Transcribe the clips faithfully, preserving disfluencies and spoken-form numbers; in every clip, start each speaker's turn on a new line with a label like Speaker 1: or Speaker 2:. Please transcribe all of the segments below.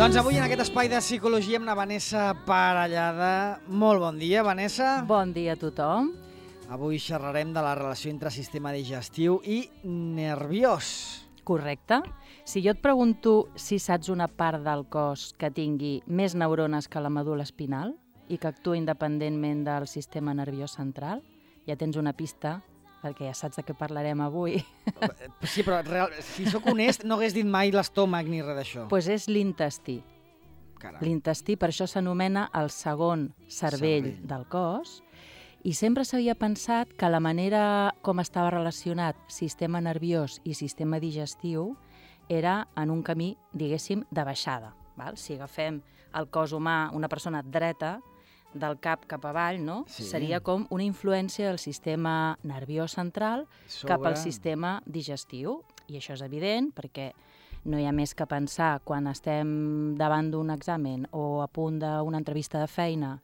Speaker 1: Doncs avui en aquest espai de psicologia amb la Vanessa Parellada. Molt bon dia, Vanessa.
Speaker 2: Bon dia a tothom.
Speaker 1: Avui xerrarem de la relació entre sistema digestiu i nerviós.
Speaker 2: Correcte. Si jo et pregunto si saps una part del cos que tingui més neurones que la medul·la espinal i que actua independentment del sistema nerviós central, ja tens una pista, perquè ja saps de què parlarem avui.
Speaker 1: Sí, però real, si sóc honest, no hagués dit mai l'estómac ni res d'això.
Speaker 2: Doncs pues és l'intestí.
Speaker 1: Caram.
Speaker 2: L'intestí, per això s'anomena el segon cervell, cervell del cos, i sempre s'havia pensat que la manera com estava relacionat sistema nerviós i sistema digestiu era en un camí, diguéssim, de baixada. Val? Si agafem el cos humà, una persona dreta, del cap cap avall, no?
Speaker 1: Sí.
Speaker 2: Seria com una influència del sistema nerviós central
Speaker 1: Sobre...
Speaker 2: cap al sistema digestiu. I això és evident perquè no hi ha més que pensar quan estem davant d'un examen o a punt d'una entrevista de feina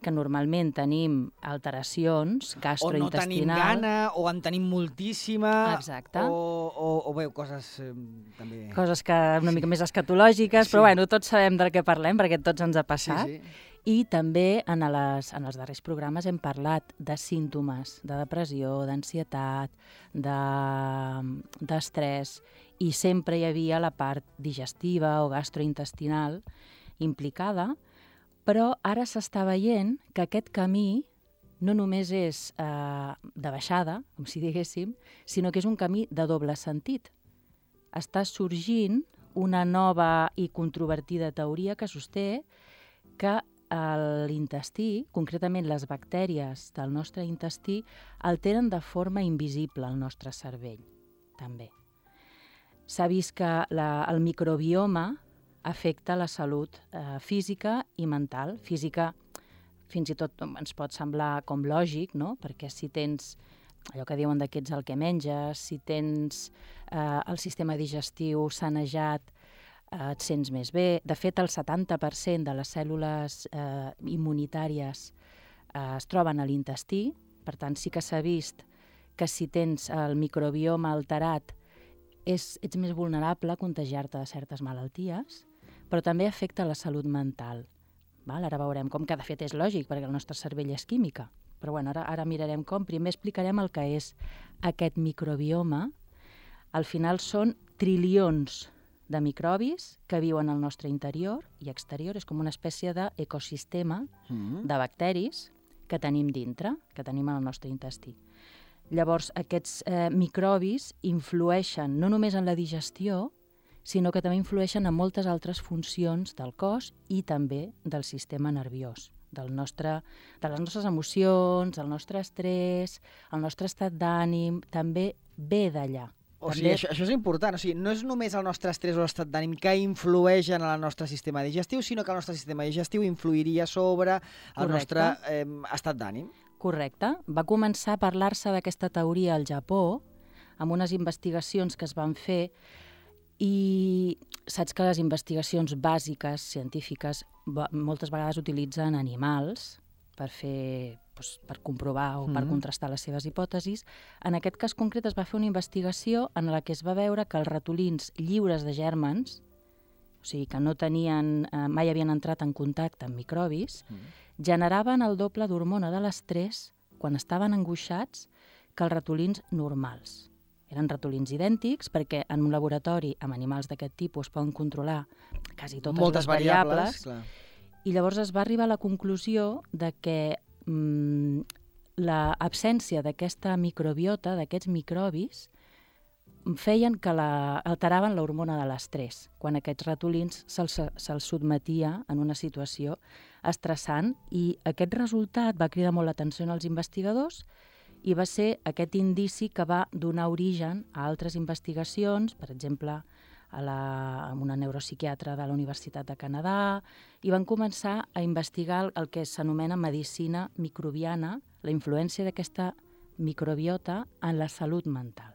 Speaker 2: que normalment tenim alteracions gastrointestinals.
Speaker 1: O no tenim gana, o en tenim moltíssima.
Speaker 2: Exacte.
Speaker 1: O, o, o bé, coses eh, també...
Speaker 2: Coses que una mica més escatològiques, sí. Però bueno, tots sabem del que parlem perquè tots ens ha passat.
Speaker 1: Sí, sí.
Speaker 2: I també en, les, en els darrers programes hem parlat de símptomes de depressió, d'ansietat, d'estrès, i sempre hi havia la part digestiva o gastrointestinal implicada, però ara s'està veient que aquest camí no només és eh, de baixada, com si diguéssim, sinó que és un camí de doble sentit. Està sorgint una nova i controvertida teoria que sosté que l'intestí, concretament les bactèries del nostre intestí, alteren de forma invisible el nostre cervell, també. S'ha vist que la, el microbioma afecta la salut eh, física i mental. Física, fins i tot ens pot semblar com lògic, no? Perquè si tens allò que diuen que ets el que menges, si tens eh, el sistema digestiu sanejat, eh, et sents més bé. De fet, el setanta per cent de les cèl·lules eh, immunitàries eh, es troben a l'intestí, per tant sí que s'ha vist que si tens el microbioma alterat és, ets més vulnerable a contagiar-te de certes malalties, però també afecta la salut mental. Val? Ara veurem com, que de fet és lògic, perquè el nostre cervell és química. Però bueno, ara, ara mirarem com. Primer explicarem el que és aquest microbioma. Al final són trilions de microbis que viuen al nostre interior i exterior. És com una espècie d'ecosistema
Speaker 1: Mm-hmm.
Speaker 2: de bacteris que tenim dintre, que tenim al nostre intestí. Llavors, aquests eh, microbis influeixen no només en la digestió, sinó que també influeixen en moltes altres funcions del cos i també del sistema nerviós, del nostre, de les nostres emocions, del nostre estrès, el nostre estat d'ànim, també ve d'allà.
Speaker 1: O
Speaker 2: També...
Speaker 1: sigui, això, això és important. O sigui, no és només el nostre estrès o l'estat d'ànim que influeix en el nostre sistema digestiu, sinó que el nostre sistema digestiu influiria sobre el
Speaker 2: Correcte.
Speaker 1: nostre eh, estat d'ànim.
Speaker 2: Correcte. Va començar a parlar-se d'aquesta teoria al Japó, amb unes investigacions que es van fer, i saps que les investigacions bàsiques, científiques, moltes vegades utilitzen animals per fer, doncs, per comprovar o per
Speaker 1: Mm-hmm.
Speaker 2: contrastar les seves hipòtesis. En aquest cas concret es va fer una investigació en la que es va veure que els ratolins lliures de gèrmens, o sigui que no tenien, eh, mai havien entrat en contacte amb microbis,
Speaker 1: Mm-hmm.
Speaker 2: generaven el doble d'hormona de l'estrès quan estaven angoixats que els ratolins normals. Eren ratolins idèntics perquè en un laboratori amb animals d'aquest tipus es poden controlar quasi totes
Speaker 1: Moltes
Speaker 2: les variables,
Speaker 1: variables,
Speaker 2: i llavors es va arribar a la conclusió de que mm, l'absència d'aquesta microbiota, d'aquests microbis, feien que la, alteraven l'hormona de l'estrès, quan aquests ratolins se'ls se sotmetia en una situació estressant, i aquest resultat va cridar molt l'atenció als investigadors i va ser aquest indici que va donar origen a altres investigacions, per exemple, a, la, a una neuropsiquiatra de la Universitat de Canadà, i van començar a investigar el, el que s'anomena medicina microbiana, la influència d'aquesta microbiota en la salut mental.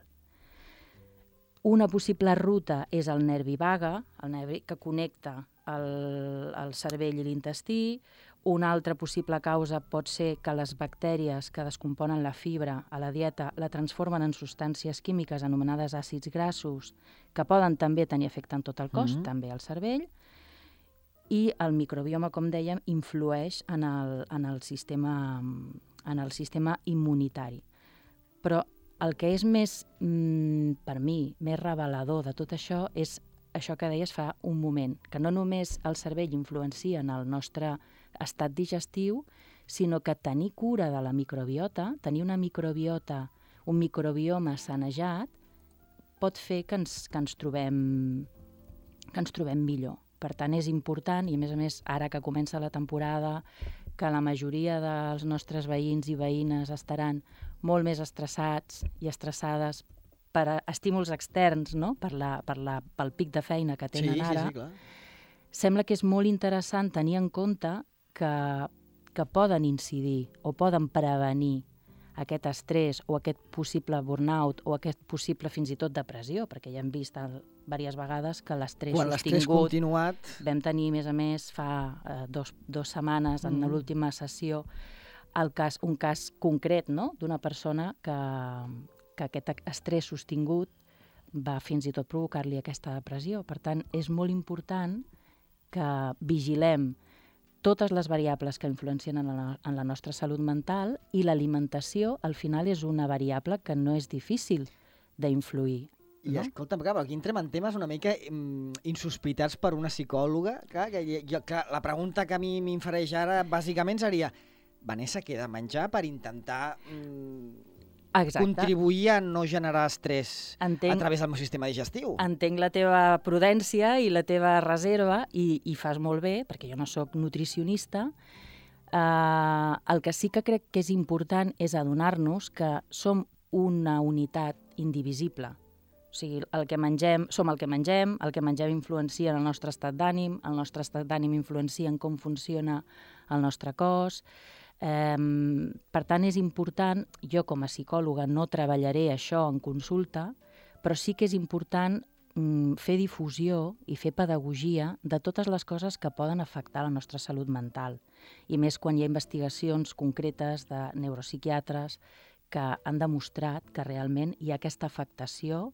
Speaker 2: Una possible ruta és el nervi vague, el nervi que connecta el, el cervell i l'intestí. Una altra possible causa pot ser que les bactèries que descomponen la fibra a la dieta la transformen en substàncies químiques anomenades àcids grassos, que poden també tenir efecte en tot el cos,
Speaker 1: Mm-hmm.
Speaker 2: també al cervell. i el microbioma, com dèiem, influeix en el, en el, sistema, en el sistema immunitari. Però el que és més, mm, per mi, més revelador de tot això és això que deies fa un moment, que no només el cervell influencia en el nostre estat digestiu, sinó que tenir cura de la microbiota, tenir una microbiota, un microbioma sanejat, pot fer que ens, que ens trobem, que ens trobem millor. Per tant, és important, i a més a més, ara que comença la temporada, que la majoria dels nostres veïns i veïnes estaran molt més estressats i estressades per estímuls externs, no? per la, per la, pel pic de feina que tenen
Speaker 1: sí,
Speaker 2: ara,
Speaker 1: sí, sí, clar.
Speaker 2: Sembla que és molt interessant tenir en compte que, que poden incidir o poden prevenir aquest estrès o aquest possible burnout o aquest possible fins i tot depressió, perquè ja hem vist diverses vegades que l'estrès
Speaker 1: Quan l'estrès
Speaker 2: sostingut...
Speaker 1: continuat...
Speaker 2: Vam tenir, a més a més, fa eh, dos, dos setmanes, en
Speaker 1: Mm.
Speaker 2: l'última sessió, el cas, un cas concret, no?, d'una persona que, que aquest estrès sostingut va fins i tot provocar-li aquesta depressió. Per tant, és molt important que vigilem totes les variables que influencien en la, en la nostra salut mental, i l'alimentació, al final, és una variable que no és difícil d'influir.
Speaker 1: I
Speaker 2: no?
Speaker 1: escolta'm, clar, però aquí entrem en temes una mica mm, insospitats per una psicòloga. Clar, que jo, clar, la pregunta que a mi m'infereix ara, bàsicament, seria Vanessa, què he de menjar per intentar mm,
Speaker 2: Exacte.
Speaker 1: contribuir a no generar estrès
Speaker 2: Entenc,
Speaker 1: a través del meu sistema digestiu?
Speaker 2: entenc la teva prudència i la teva reserva, i, i fas molt bé, perquè jo no sóc nutricionista. Uh, el que sí que crec que és important és adonar-nos que som una unitat indivisible. O sigui, el que mengem, som el que mengem, el que mengem influencia en el nostre estat d'ànim, el nostre estat d'ànim influencia en com funciona el nostre cos. Um, per tant, és important, jo com a psicòloga no treballaré això en consulta, però sí que és important um, fer difusió i fer pedagogia de totes les coses que poden afectar la nostra salut mental. I més quan hi ha investigacions concretes de neuropsiquiatres que han demostrat que realment hi ha aquesta afectació.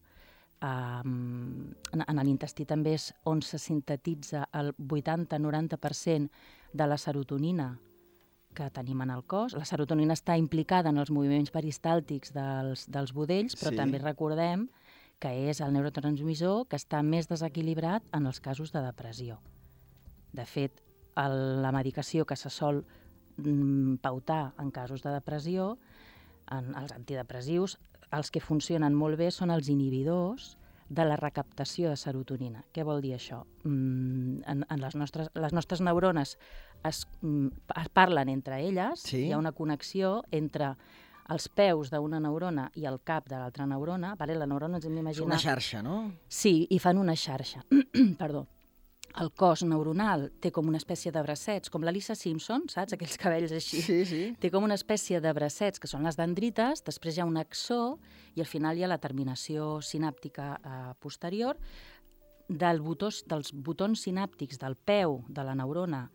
Speaker 2: Um, en, en l'intestí també és on se sintetitza el vuitanta a noranta per cent de la serotonina que tenim en el cos. La serotonina està implicada en els moviments peristàltics dels, dels budells, però
Speaker 1: Sí.
Speaker 2: també recordem que és el neurotransmissor que està més desequilibrat en els casos de depressió. De fet, el, la medicació que se sol mm, pautar en casos de depressió, en els antidepressius, els que funcionen molt bé són els inhibidors de la recaptació de serotonina. Què vol dir això? Mm, en, en les, nostres, les nostres neurones es, mm, es parlen entre elles,
Speaker 1: Sí.
Speaker 2: hi ha una connexió entre els peus d'una neurona i el cap de l'altra neurona. Vale? La neurona ens hem
Speaker 1: És
Speaker 2: d'imaginar...
Speaker 1: una xarxa, no?
Speaker 2: Sí, i fan una xarxa. Perdó. El cos neuronal té com una espècie de bracets, com la Lisa Simpson, saps? Aquells cabells així.
Speaker 1: Sí, sí.
Speaker 2: Té com una espècie de bracets, que són les dendrites, després hi ha un axó i al final hi ha la terminació sinàptica eh, posterior. Del botós, dels botons sinàptics del peu de la neurona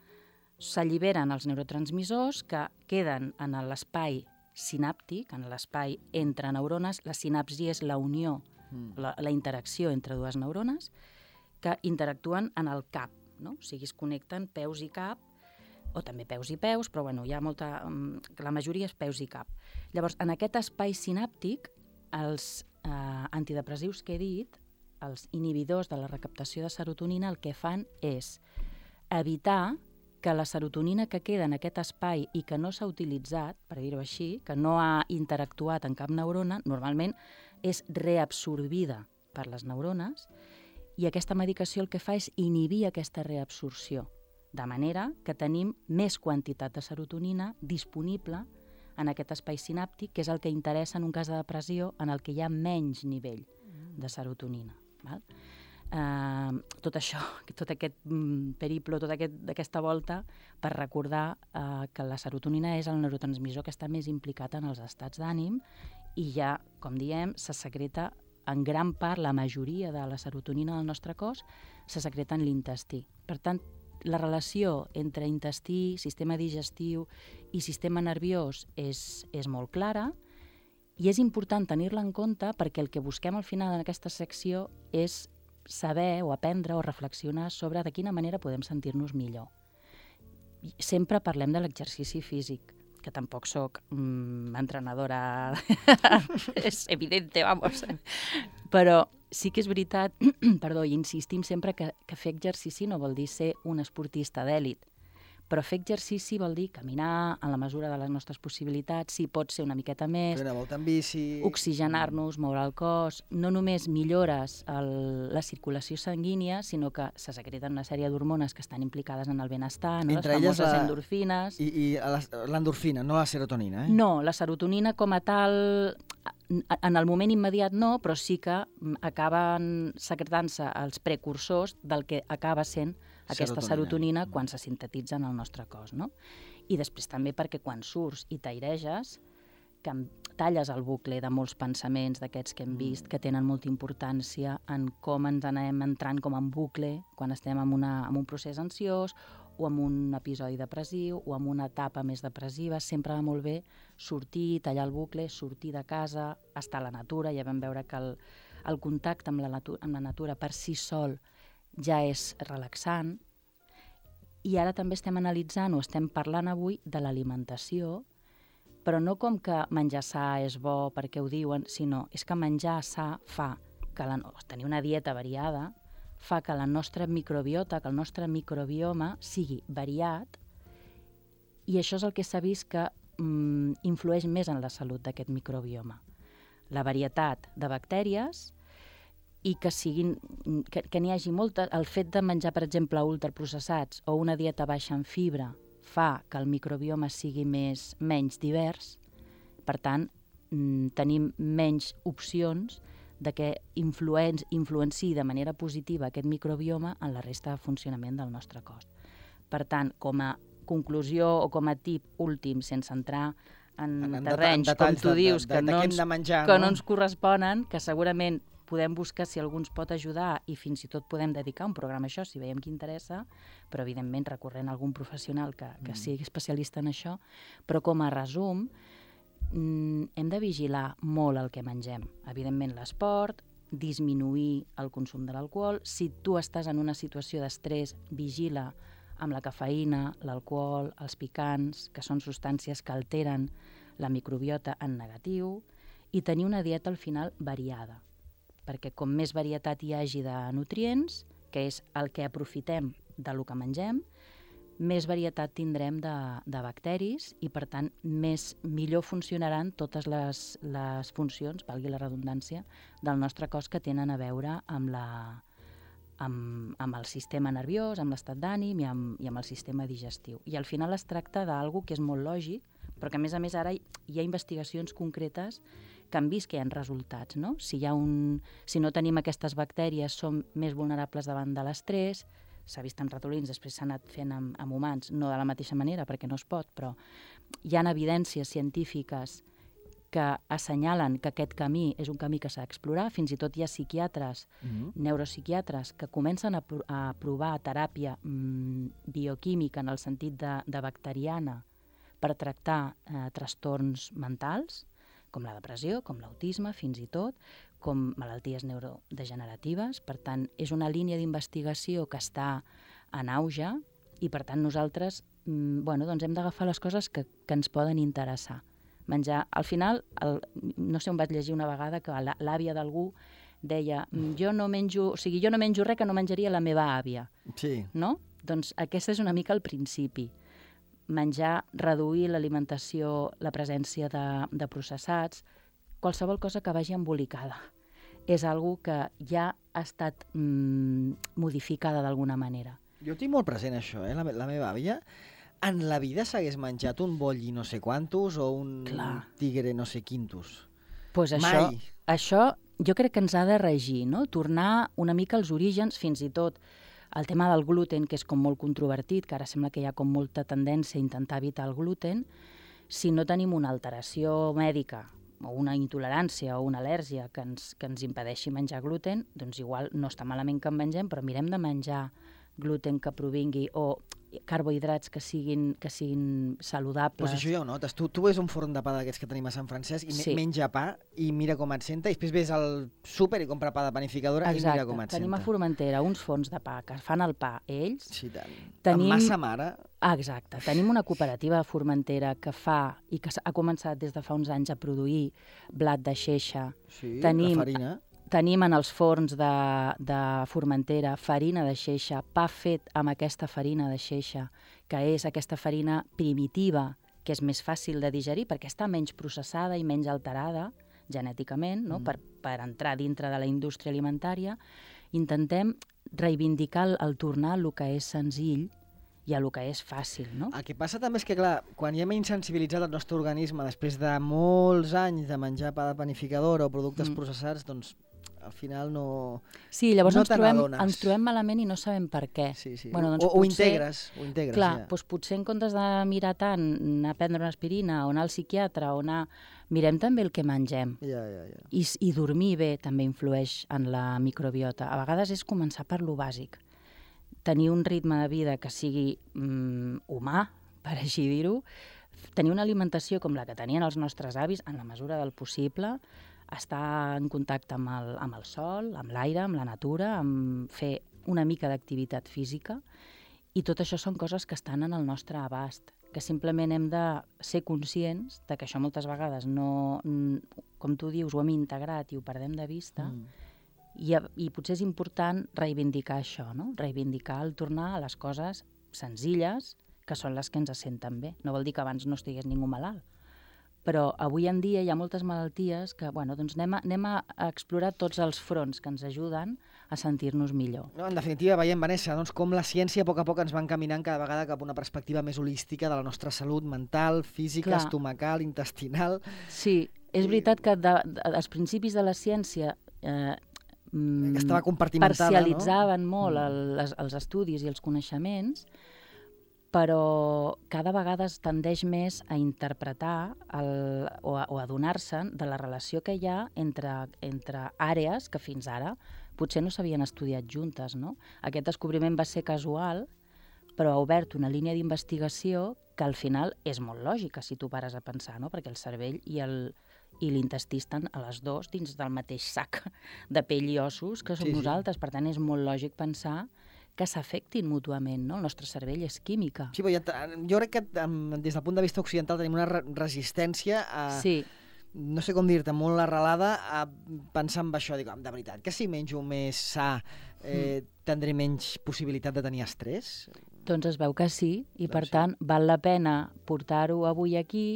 Speaker 2: s'alliberen els neurotransmissors que queden en l'espai sinàptic, en l'espai entre neurones. La sinapsi és la unió,
Speaker 1: Mm.
Speaker 2: la, la interacció entre dues neurones, que interactuen en el cap, no? O sigui, es connecten peus i cap, o també peus i peus, però bueno, hi ha molta... La majoria és peus i cap. Llavors, en aquest espai sinàptic, els eh, antidepressius que he dit, els inhibidors de la recaptació de serotonina, el que fan és evitar que la serotonina que queda en aquest espai i que no s'ha utilitzat, per dir-ho així, que no ha interactuat en cap neurona, normalment és reabsorbida per les neurones, i aquesta medicació el que fa és inhibir aquesta reabsorció, de manera que tenim més quantitat de serotonina disponible en aquest espai sinàptic, que és el que interessa en un cas de depressió en el que hi ha menys nivell de serotonina. Val? Uh, tot això, tot aquest mm, periple, tota aquest, aquesta volta, per recordar uh, que la serotonina és el neurotransmissor que està més implicat en els estats d'ànim, i ja, com diem, se secreta en gran part, la majoria de la serotonina del nostre cos se secreta en l'intestí. Per tant, la relació entre intestí, sistema digestiu i sistema nerviós és, és molt clara, i és important tenir-la en compte perquè el que busquem al final en aquesta secció és saber o aprendre o reflexionar sobre de quina manera podem sentir-nos millor. Sempre parlem de l'exercici físic, que tampoc sóc mm, entrenadora, és evidente, vamos. Però sí que és veritat, perdó, i insistim sempre que, que fer exercici no vol dir ser un esportista d'èlit, però fer exercici vol dir caminar en la mesura de les nostres possibilitats, si pot ser una miqueta més,
Speaker 1: fer una volta en bici,
Speaker 2: oxigenar-nos, moure el cos, no només millores el, la circulació sanguínia, sinó que se secreten una sèrie d'hormones que estan implicades en el benestar, no? Les famoses la... endorfines.
Speaker 1: I, i l'endorfina, no la serotonina, eh?
Speaker 2: No, la serotonina com a tal, en el moment immediat no, però sí que acaben secretant-se els precursors del que acaba sent aquesta serotonina, serotonina quan se sintetitza en el nostre cos, no? I després també perquè quan surts i t'aireges, que talles el bucle de molts pensaments d'aquests que hem vist, que tenen molta importància en com ens anem entrant com en bucle quan estem en, una, en un procés ansiós o en un episodi depressiu o en una etapa més depressiva. Sempre va molt bé sortir, tallar el bucle, sortir de casa, estar a la natura. Ja vam veure que el, el contacte amb la, natura, amb la natura per si sol ja és relaxant, i ara també estem analitzant o estem parlant avui de l'alimentació, però no com que menjar sa és bo perquè ho diuen, sinó és que menjar sa fa que la, tenir una dieta variada fa que la nostra microbiota, que el nostre microbioma sigui variat, i això és el que s'ha vist que mm, influeix més en la salut d'aquest microbioma. La varietat de bactèries i que siguin, que, que n'hi hagi molta. El fet de menjar, per exemple, ultraprocessats o una dieta baixa en fibra fa que el microbioma sigui més, menys divers. Per tant, tenim menys opcions de que influen, influenciï de manera positiva aquest microbioma en la resta de funcionament del nostre cos. Per tant, com a conclusió o com a tip últim, sense entrar en, en terrenys, en com tu
Speaker 1: de,
Speaker 2: dius,
Speaker 1: de, de,
Speaker 2: que, no
Speaker 1: que,
Speaker 2: ens,
Speaker 1: menjar,
Speaker 2: que
Speaker 1: no?
Speaker 2: no ens corresponen, que segurament podem buscar si algú ens pot ajudar i fins i tot podem dedicar un programa a això si veiem que interessa, però evidentment recorrent a algun professional que, que sigui especialista en això. Però com a resum, hem de vigilar molt el que mengem. Evidentment l'esport, disminuir el consum de l'alcohol. Si tu estàs en una situació d'estrès, vigila amb la cafeïna, l'alcohol, els picants, que són substàncies que alteren la microbiota en negatiu, i tenir una dieta al final variada, perquè com més varietat hi hagi de nutrients, que és el que aprofitem del que mengem, més varietat tindrem de, de bacteris i, per tant, més, millor funcionaran totes les, les funcions, valgui la redundància, del nostre cos que tenen a veure amb, la, amb, amb el sistema nerviós, amb l'estat d'ànim i, amb, i amb el sistema digestiu. I al final es tracta d'algo que és molt lògic, però que a més a més ara hi ha investigacions concretes que han vist que hi ha resultats, no? Si, hi ha un, si no tenim aquestes bactèries, som més vulnerables davant de l'estrès. S'ha vist en ratolins, després s'ha anat fent amb, amb humans, no de la mateixa manera, perquè no es pot, però hi ha evidències científiques que assenyalen que aquest camí és un camí que s'ha d'explorar. Fins i tot hi ha psiquiatres, mm-hmm. neuropsiquiatres, que comencen a, pro a provar teràpia mm, bioquímica en el sentit de, de bacteriana per tractar eh, trastorns mentals, com la depressió, com l'autisme, fins i tot, com malalties neurodegeneratives. Per tant, és una línia d'investigació que està en auge i, per tant, nosaltres mm, bueno, doncs hem d'agafar les coses que, que ens poden interessar. Menjar, al final, el, no sé on vaig llegir una vegada que l'àvia d'algú deia jo no menjo, o sigui, jo no menjo res que no menjaria la meva àvia.
Speaker 1: Sí.
Speaker 2: No? Doncs aquesta és una mica el principi. Menjar, reduir l'alimentació, la presència de, de processats, qualsevol cosa que vagi embolicada. És algo que ja ha estat mm, modificada d'alguna manera.
Speaker 1: Jo tinc molt present això, eh? La, la meva àvia en la vida s'hagués menjat un bolli no sé quantos o un Clar. tigre no sé quintos.
Speaker 2: Pues això, això jo crec que ens ha de regir, no? Tornar una mica als orígens, fins i tot el tema del gluten, que és com molt controvertit, que ara sembla que hi ha com molta tendència a intentar evitar el gluten. Si no tenim una alteració mèdica o una intolerància o una al·lèrgia que ens, que ens impedeixi menjar gluten, doncs igual no està malament que en mengem, però mirem de menjar gluten que provingui o carbohidrats que siguin, que siguin saludables.
Speaker 1: Pues això ja ho notes. Tu, tu ves un forn de pa d'aquests que tenim a Sant Francesc i sí. menja pa i mira com et senta, i després ves al súper i compra pa de panificadora. Exacte. I mira com et
Speaker 2: Tenim
Speaker 1: senta.
Speaker 2: a Formentera uns forns de pa que fan el pa ells.
Speaker 1: Sí, tant.
Speaker 2: Tenim...
Speaker 1: Amb massa mare.
Speaker 2: Ah, exacte. Tenim una cooperativa a Formentera que fa, i que ha començat des de fa uns anys a produir blat de xeixa.
Speaker 1: Sí,
Speaker 2: Tenim...
Speaker 1: la farina.
Speaker 2: Tenim en els forns de, de Formentera farina de xeixa, pa fet amb aquesta farina de xeixa, que és aquesta farina primitiva, que és més fàcil de digerir perquè està menys processada i menys alterada genèticament, no? mm. per, per entrar dintre de la indústria alimentària. Intentem reivindicar el, el tornar al que és senzill i a lo que és fàcil, no?
Speaker 1: El que passa també és que, clar, quan ja hem insensibilitzat el nostre organisme després de molts anys de menjar pa de panificadora o productes mm. processats, doncs al final no...
Speaker 2: Sí, llavors
Speaker 1: no
Speaker 2: ens, trobem, ens trobem malament i no sabem per què.
Speaker 1: Sí, sí.
Speaker 2: Bueno, doncs
Speaker 1: o,
Speaker 2: potser,
Speaker 1: ho integres. Ho integres
Speaker 2: clar,
Speaker 1: ja.
Speaker 2: doncs potser en comptes de mirar tant, anar a prendre una aspirina o anar al psiquiatre o anar... Mirem també el que mengem.
Speaker 1: Ja, ja, ja.
Speaker 2: I, I dormir bé també influeix en la microbiota. A vegades és començar per lo bàsic. Tenir un ritme de vida que sigui mm, humà, per així dir-ho, tenir una alimentació com la que tenien els nostres avis, en la mesura del possible, estar en contacte amb el, amb el sol, amb l'aire, amb la natura, amb fer una mica d'activitat física, i tot això són coses que estan en el nostre abast, que simplement hem de ser conscients de que això moltes vegades no, com tu dius, ho hem integrat i ho perdem de vista, mm. i, i potser és important reivindicar això, no? Reivindicar el tornar a les coses senzilles, que són les que ens senten bé. No vol dir que abans no estigués ningú malalt, però avui en dia hi ha moltes malalties que, bueno, doncs anem a, anem a explorar tots els fronts que ens ajuden a sentir-nos millor.
Speaker 1: No, en definitiva, veiem, Vanessa, doncs, com la ciència a poc a poc ens va encaminant cada vegada cap a una perspectiva més holística de la nostra salut mental, física, Clar. estomacal, intestinal...
Speaker 2: Sí, és veritat que de, de, als principis de la ciència eh,
Speaker 1: estava compartimentada,
Speaker 2: parcialitzaven
Speaker 1: no?
Speaker 2: molt el, les, els estudis i els coneixements, però cada vegada es tendeix més a interpretar el, o a, o a adonar-se'n de la relació que hi ha entre, entre àrees que fins ara potser no s'havien estudiat juntes, no? Aquest descobriment va ser casual, però ha obert una línia d'investigació que al final és molt lògica si tu pares a pensar, no? Perquè el cervell i el i l'intestí estan a les dues dins del mateix sac de pell i ossos que som sí, nosaltres. Sí. Per tant, és molt lògic pensar que s'afectin mútuament, no? El nostre cervell és química.
Speaker 1: Sí, però ja, jo crec que des del punt de vista occidental tenim una re resistència a...
Speaker 2: Sí.
Speaker 1: No sé com dir-te, molt arrelada a pensar en això. Dic, de veritat, que si menjo més sa eh, mm. tindré menys possibilitat de tenir estrès?
Speaker 2: Doncs es veu que sí, i doncs per
Speaker 1: sí.
Speaker 2: tant val la pena portar-ho avui aquí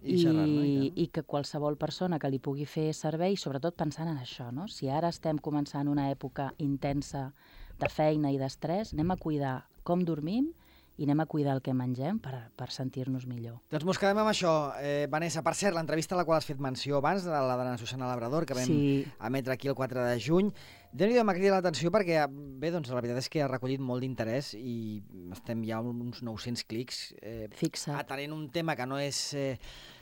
Speaker 2: i,
Speaker 1: I, xerrar, no?
Speaker 2: I, i que qualsevol persona que li pugui fer servei, sobretot pensant en això, no? Si ara estem començant una època intensa de feina i d'estrès, anem a cuidar com dormim i anem a cuidar el que mengem per, per sentir-nos millor.
Speaker 1: Doncs mos quedem amb això. Eh, Vanessa, per cert, l'entrevista a la qual has fet menció abans, de la de la Susana Labrador, que vam sí. emetre aquí el quatre de juny, déu-n'hi-do, m'ha cridat l'atenció perquè, bé, doncs la veritat és que ha recollit molt d'interès i estem ja uns nou-cents clics eh, atenent un tema que no és... Eh,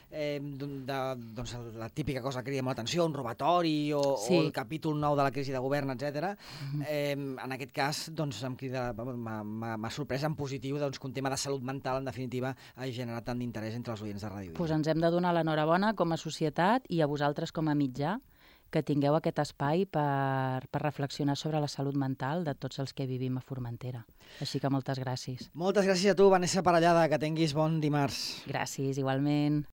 Speaker 1: Eh, de, doncs la típica cosa que cria molt atenció, un robatori o, sí. o el capítol nou de la crisi de govern, etcètera. Uh-huh. eh, en aquest cas doncs, m'ha sorprès en positiu doncs, que un tema de salut mental, en definitiva, ha generat tant d'interès entre els oients de Ràdio Vila.
Speaker 2: Pues ens hem de donar l'enhorabona com a societat i a vosaltres com a mitjà que tingueu aquest espai per, per reflexionar sobre la salut mental de tots els que vivim a Formentera. Així que moltes gràcies.
Speaker 1: Moltes gràcies a tu, Vanessa Parellada, que tinguis bon dimarts.
Speaker 2: Gràcies, igualment.